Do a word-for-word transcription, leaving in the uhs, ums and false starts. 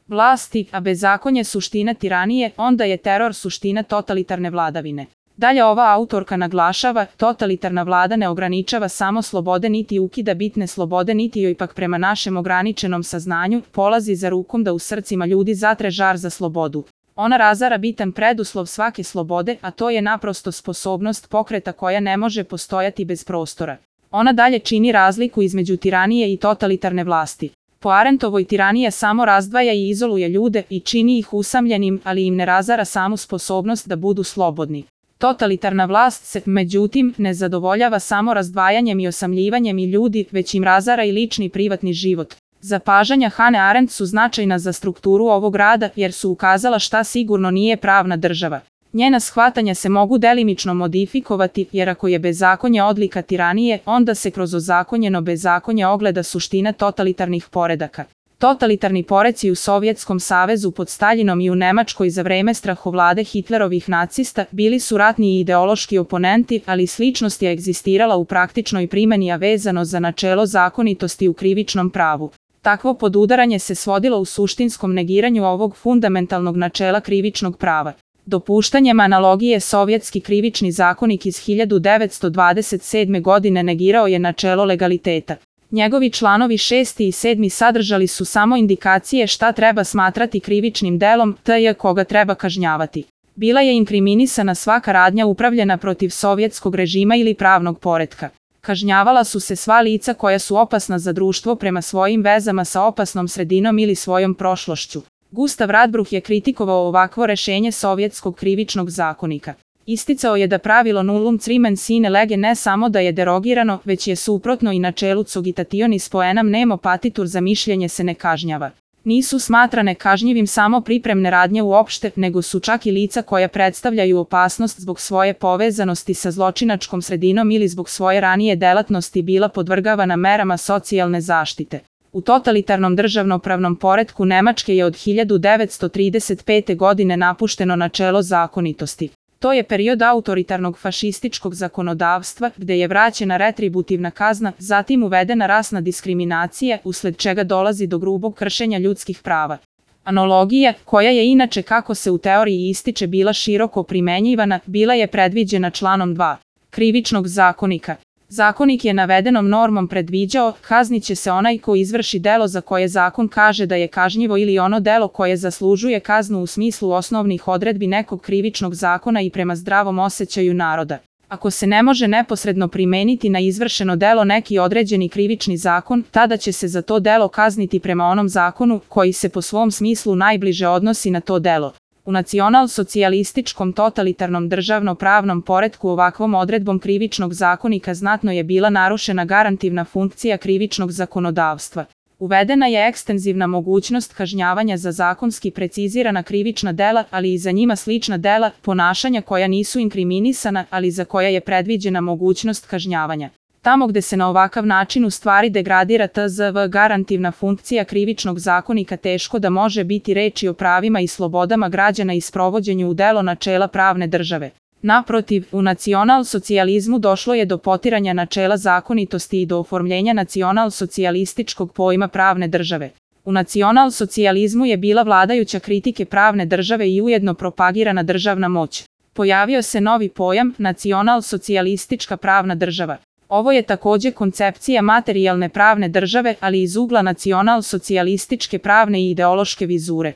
vlasti, a bezakonje suština tiranije, onda je teror suština totalitarne vladavine. Dalje ova autorka naglašava, totalitarna vlada ne ograničava samo slobode niti ukida bitne slobode niti joj pak prema našem ograničenom saznanju polazi za rukom da u srcima ljudi zatre žar za slobodu. Ona razara bitan preduslov svake slobode, a to je naprosto sposobnost pokreta koja ne može postojati bez prostora. Ona dalje čini razliku između tiranije i totalitarne vlasti. Po Arentovoj tiranija samo razdvaja i izoluje ljude i čini ih usamljenim, ali im ne razara samu sposobnost da budu slobodni. Totalitarna vlast se, međutim, ne zadovoljava samo razdvajanjem i osamljivanjem i ljudi, već im razara i lični privatni život. Zapažanja Hane Arendt su značajna za strukturu ovog rada jer su ukazala šta sigurno nije pravna država. Njena shvatanja se mogu delimično modifikovati jer ako je bezakonje odlika tiranije, onda se kroz ozakonjeno bezakonje ogleda suština totalitarnih poredaka. Totalitarni poreci u Sovjetskom savezu pod Staljinom i u Nemačkoj za vreme strahovlade Hitlerovih nacista bili su ratni i ideološki oponenti, ali sličnost je egzistirala u praktičnoj primjeni, a vezano za načelo zakonitosti u krivičnom pravu. Takvo podudaranje se svodilo u suštinskom negiranju ovog fundamentalnog načela krivičnog prava. Dopuštanjem analogije Sovjetski krivični zakonik iz hiljadu devetsto dvadeset sedme. godine negirao je načelo legaliteta. Njegovi članovi šesti i sedmi sadržali su samo indikacije šta treba smatrati krivičnim delom, tj. koga treba kažnjavati. Bila je inkriminisana svaka radnja upravljena protiv sovjetskog režima ili pravnog poretka. Kažnjavala su se sva lica koja su opasna za društvo prema svojim vezama sa opasnom sredinom ili svojom prošlošću. Gustav Radbruch je kritikovao ovakvo rešenje Sovjetskog krivičnog zakonika. Isticao je da pravilo nullum crimen sine lege ne samo da je derogirano, već je suprotno i načelu cogitationis poenam nemo patitur, za mišljenje se ne kažnjava. Nisu smatrane kažnjivim samo pripremne radnje uopšte, nego su čak i lica koja predstavljaju opasnost zbog svoje povezanosti sa zločinačkom sredinom ili zbog svoje ranije delatnosti bila podvrgavana merama socijalne zaštite. U totalitarnom državnopravnom poretku Nemačke je od hiljadu devetsto trideset pete. godine napušteno načelo zakonitosti. To je period autoritarnog fašističkog zakonodavstva, gde je vraćena retributivna kazna, zatim uvedena rasna diskriminacija, usled čega dolazi do grubog kršenja ljudskih prava. Analogija, koja je inače kako se u teoriji ističe bila široko primenjivana, bila je predviđena članom dva. Krivičnog zakonika. Zakonik je navedenom normom predviđao, kazniće se onaj ko izvrši delo za koje zakon kaže da je kažnjivo ili ono delo koje zaslužuje kaznu u smislu osnovnih odredbi nekog krivičnog zakona i prema zdravom osjećaju naroda. Ako se ne može neposredno primeniti na izvršeno delo neki određeni krivični zakon, tada će se za to delo kazniti prema onom zakonu koji se po svom smislu najbliže odnosi na to delo. U nacional-socijalističkom totalitarnom državno-pravnom poretku ovakvom odredbom krivičnog zakonika znatno je bila narušena garantivna funkcija krivičnog zakonodavstva. Uvedena je ekstenzivna mogućnost kažnjavanja za zakonski precizirana krivična dela, ali i za njima slična dela, ponašanja koja nisu inkriminisana, ali za koja je predviđena mogućnost kažnjavanja. Tamo gde se na ovakav način u stvari degradira T Z V garantivna funkcija krivičnog zakonika, teško da može biti reči o pravima i slobodama građana i sprovođenju u delo načela pravne države. Naprotiv, u nacional-socijalizmu došlo je do potiranja načela zakonitosti i do oformljenja nacional-socijalističkog pojma pravne države. U nacional-socijalizmu je bila vladajuća kritike pravne države i ujedno propagirana državna moć. Pojavio se novi pojam, nacional-socijalistička pravna država. Ovo je takođe koncepcija materijalne pravne države, ali iz ugla nacional-socijalističke pravne i ideološke vizure.